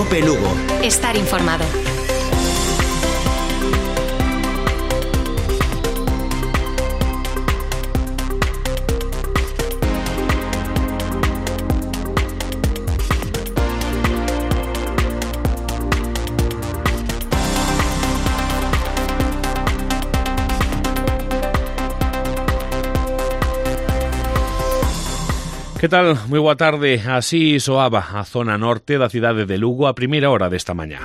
COPE Lugo. Estar informado. Que tal? Moi boa tarde. Así soaba a zona norte da cidade de Lugo a primeira hora desta mañá.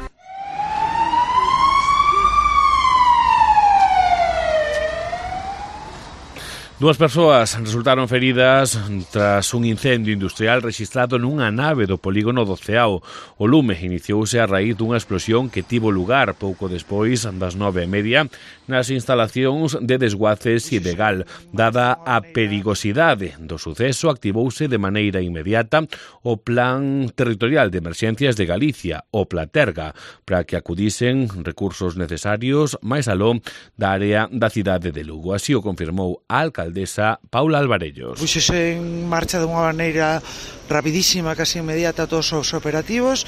Dúas persoas resultaron feridas tras un incendio industrial rexistrado nunha nave do polígono do Ceao. O lume iniciouse a raíz dunha explosión que tivo lugar pouco despois das 9:30 nas instalacións de desguaces ilegal. Dada a perigosidade do suceso, activouse de maneira inmediata o Plan Territorial de Emerxencias de Galicia, o Platerga, para que acudisen recursos necesarios máis aló da área da cidade de Lugo. Así o confirmou a alcaldesa Paula Alvarellos. Puxose en marcha de unha maneira rapidísima, casi inmediata, todos os operativos.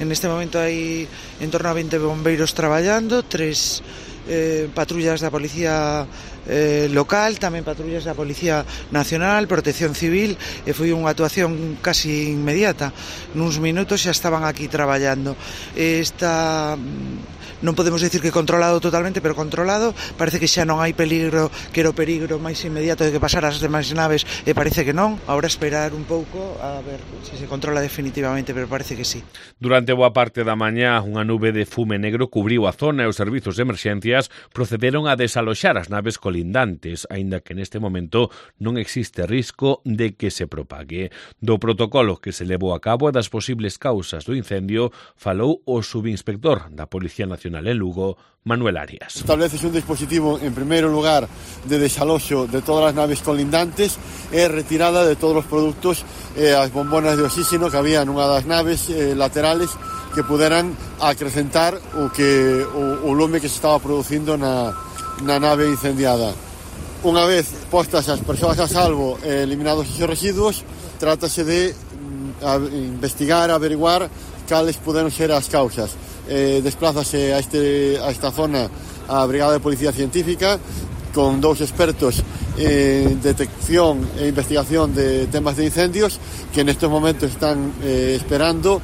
En este momento hai en torno a 20 bombeiros traballando, 3 patrullas da Policía local, tamén patrullas da Policía Nacional, Protección Civil, e foi unha actuación casi inmediata. Nuns minutos xa estaban aquí traballando. Non podemos decir que controlado totalmente, pero controlado. Parece que xa non hai peligro, que era o peligro máis inmediato de que pasaran as demais naves, e parece que non. Ahora esperar un pouco a ver se se controla definitivamente, pero parece que sí. Durante boa parte da mañá, unha nube de fume negro cubriu a zona e os servizos de emerxencias procederon a desaloxar as naves colindantes, aínda que neste momento non existe risco de que se propague. Do protocolo que se levou a cabo e das posibles causas do incendio falou o subinspector da Policía Nacional en Lugo, Manuel Arias. Estableces un dispositivo, en primeiro lugar, de desaloxo de todas as naves colindantes e retirada de todos os produtos e as bombonas de oxígeno que había nunha das naves laterales que puderan acrecentar o lume que se estaba producindo na nave incendiada. Unha vez postas as persoas a salvo e eliminados esos residuos, trátase de investigar, averiguar cales puderon ser as causas. Desplázase a esta zona a Brigada de Policía Científica con 2 expertos en detección e investigación de temas de incendios que en estos momentos están esperando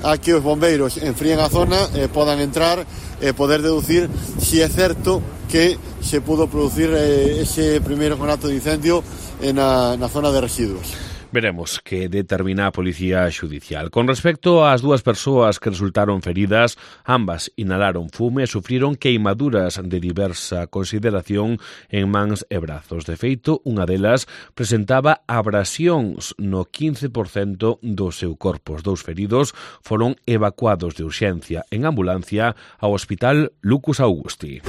a que os bombeiros enfríen a zona, podan entrar e poder deducir si é certo que se pudo producir ese primeiro conato de incendio na zona de residuos. Veremos que determina a Policía Xudicial. Con respecto ás dúas persoas que resultaron feridas, ambas inhalaron fume e sufriron queimaduras de diversa consideración en mans e brazos. De feito, unha delas presentaba abrasións no 15% do seu corpo. Os 2 feridos foron evacuados de urxencia en ambulancia ao Hospital Lucus Augusti.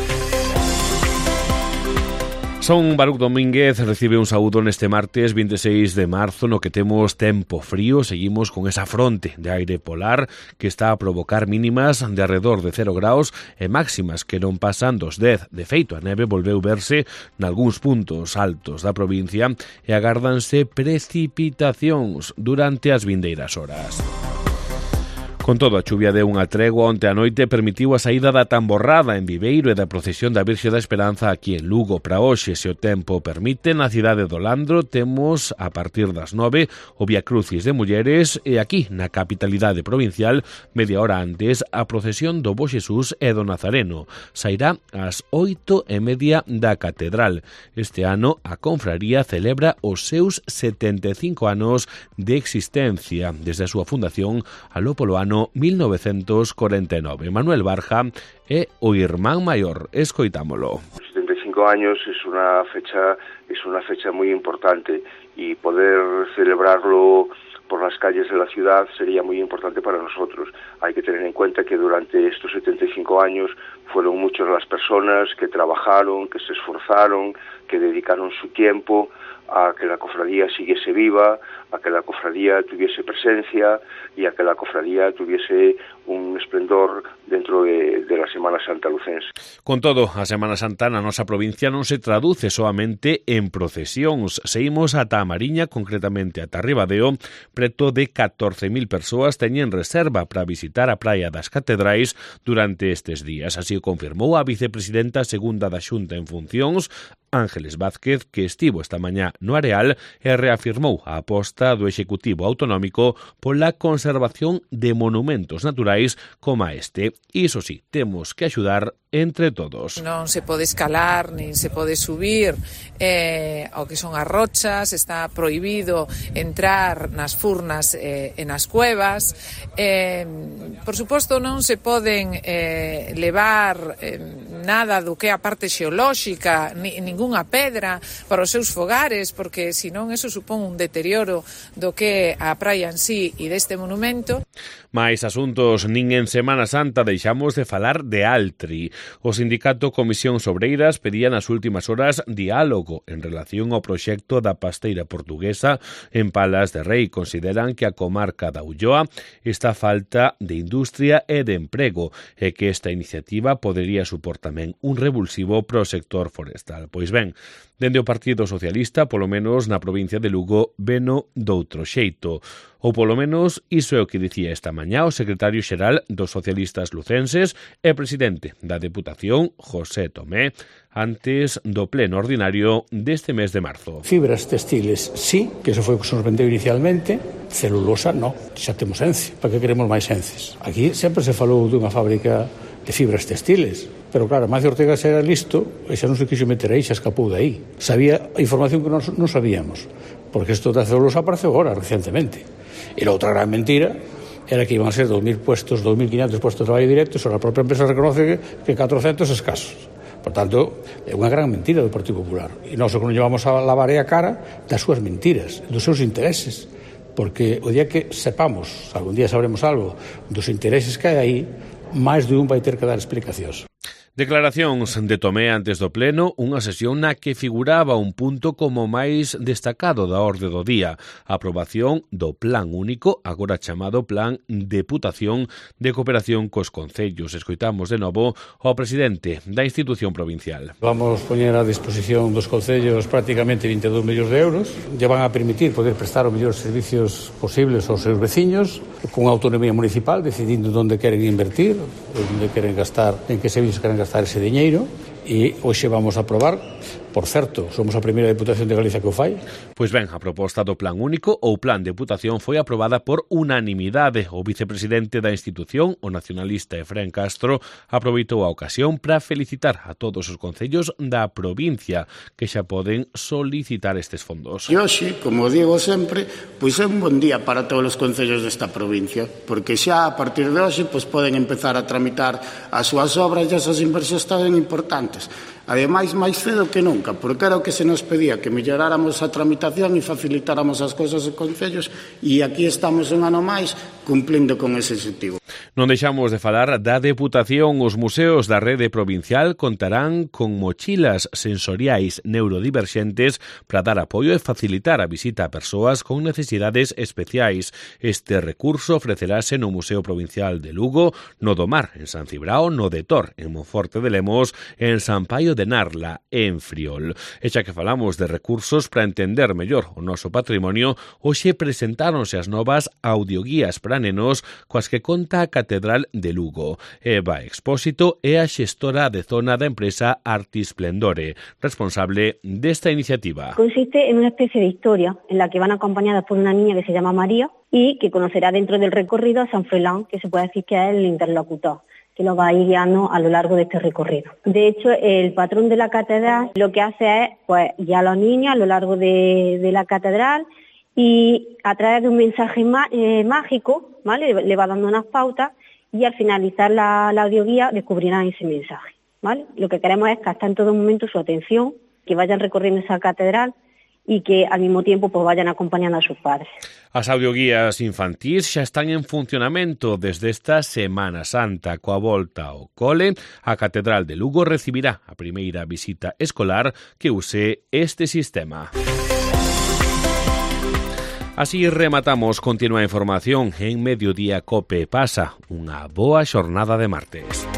Son Baruch Domínguez recibe un saúdo neste martes 26 de marzo no que temos tempo frío. Seguimos con esa fronte de aire polar que está a provocar mínimas de alrededor de 0 graus e máximas que non pasan dos 10. De feito, a neve volveu verse nalgúns puntos altos da provincia e agárdanse precipitacións durante as vindeiras horas. Con todo, a chuvia deu unha tregua onte a noite permitiu a saída da tamborrada en Viveiro e da procesión da Virxe da Esperanza aquí en Lugo. Para hoxe, se o tempo permite, na cidade do Landro temos a partir das 9 o Vía Crucis de Mulleres e aquí, na capitalidade provincial, media hora antes, a procesión do Bo Xesús e do Nazareno. Sairá ás 8:30 da Catedral. Este ano, a confraría celebra os seus 75 anos de existencia desde a súa fundación aló polo ano 1949. Manuel Barja é o irmán maior. Escoitámolo. 75 años es una fecha muy importante y poder celebrarlo por las calles de la ciudad sería muy importante para nosotros. Hay que tener en cuenta que durante estos 75 años fueron muchas las personas que trabajaron, que se esforzaron, que dedicaron su tiempo a que la cofradía siguiese viva, a que la cofradía tuviese presencia y a que la cofradía tuviese un esplendor dentro de la Semana Santa lucense. Con todo, a Semana Santa na nosa provincia non se traduce soamente en procesións. Seguimos ata a Mariña, concretamente ata Ribadeo, preto de 14.000 persoas teñen reserva para visitar a Praia das Catedrais durante estes días. Así o confirmou a vicepresidenta segunda da Xunta en funcións, Ángeles Vázquez, que estivo esta mañá no Areal e reafirmou a aposta do Executivo Autonómico pola conservación de monumentos naturais como este. Iso sí, temos que axudar entre todos. Non se pode escalar, nin se pode subir ao que son as rochas, está prohibido entrar nas furnas e nas cuevas. Por suposto, non se poden levar nada do que é a parte xeolóxica, ningunha pedra para os seus fogares, porque senón eso supón un deterioro do que é a praia en sí e deste monumento. Mais asuntos nin en Semana Santa deixamos de falar de Altri. O sindicato Comisións Obreiras pedía nas últimas horas diálogo en relación ao proxecto da pasteira portuguesa en Palas de Rei. Consideran que a comarca da Ulloa está a falta de industria e de emprego e que esta iniciativa podería supor tamén un revulsivo pro sector forestal. Pois ben, dende o Partido Socialista, polo menos na provincia de Lugo, veno doutro xeito. Ou polo menos iso é o que dicía esta mañá o secretario xeral dos socialistas lucenses e presidente da Deputación, José Tomé, antes do pleno ordinario deste mes de marzo. Fibras textiles, sí, que eso foi o que se nos vendeu inicialmente. Celulosa, no, xa temos Ence. Para que queremos máis Ences? Aquí sempre se falou dunha fábrica de fibras textiles, pero claro, Macio Ortega xa era listo e xa non se quixo meter aí, xa escapou de aí. Sabía a información que non sabíamos, porque isto da celulosa apareceu agora, recentemente. E a outra gran mentira era que iban a ser 2.000 puestos, 2.500 puestos de traballo directo, e a propia empresa reconoce que 400 escasos. Por tanto, é unha gran mentira do Partido Popular. E nós o que non llevamos a lavar é a cara das súas mentiras, dos seus intereses. Porque o día que sepamos, algún día sabremos algo, dos intereses que hai aí, máis de un vai ter que dar explicacións. Declaracións de Tomé antes do pleno, unha sesión na que figuraba un punto como máis destacado da orde do día, a aprobación do Plan Único, agora chamado Plan Deputación de Cooperación cos Concellos. Escoitamos de novo ao presidente da institución provincial. Vamos poñer a disposición dos concellos prácticamente 22 millóns de euros, lle van a permitir poder prestar os mellores servicios posibles aos seus veciños, con autonomía municipal, decidindo onde queren invertir, onde queren gastar, en que servicios queren gastar ese diñeiro, e hoxe vamos a aprobar. Por certo, somos a primeira Deputación de Galicia que o fai. Pois ben, a proposta do Plan Único ou Plan Deputación foi aprobada por unanimidade. O vicepresidente da institución, o nacionalista Efrén Castro, aproveitou a ocasión para felicitar a todos os concellos da provincia que xa poden solicitar estes fondos. E hoxe, como digo sempre, pois é un bon día para todos os concellos desta provincia, porque xa a partir de hoxe pois poden empezar a tramitar as súas obras e as súas inversións tan importantes. Ademais, máis cedo que nunca, porque era o que se nos pedía, que melloráramos a tramitación e facilitáramos as cousas de concellos, e aquí estamos un ano máis cumplindo con ese objetivo. Non deixamos de falar da Deputación. Os museos da rede provincial contarán con mochilas sensoriais neurodiverxentes para dar apoio e facilitar a visita a persoas con necesidades especiais. Este recurso ofrecerase no Museo Provincial de Lugo, no do Mar, en San Cibrao, no de Tor, en Monforte de Lemos, en San Paio de Narla, en Friol. E xa que falamos de recursos para entender mellor o noso patrimonio, hoxe presentáronse as novas audioguías para nenos coas que conta a Catedral de Lugo. Eva Expósito é a xestora de zona da empresa Artisplendore, responsable desta iniciativa. Consiste en una especie de historia en la que van acompañadas por una niña que se llama María y que conocerá dentro del recorrido a San Froilán, que se puede decir que es el interlocutor, que lo va a ir guiando a lo largo de este recorrido. De hecho, el patrón de la catedral lo que hace es pues guiar a los niños a lo largo de la catedral y a través de un mensaje mágico, ¿vale? Le va dando unas pautas y al finalizar la audioguía descubrirán ese mensaje, ¿vale? Lo que queremos es captar en todo momento su atención, que vayan recorriendo esa catedral y que al mismo tiempo pues vayan acompañando a sus padres. As audioguías infantís xa están en funcionamento desde esta Semana Santa. Coa volta ao cole, a Catedral de Lugo recibirá a primeira visita escolar que use este sistema. Así rematamos. Continúa a información en Mediodía Cope. Pasa unha boa xornada de martes.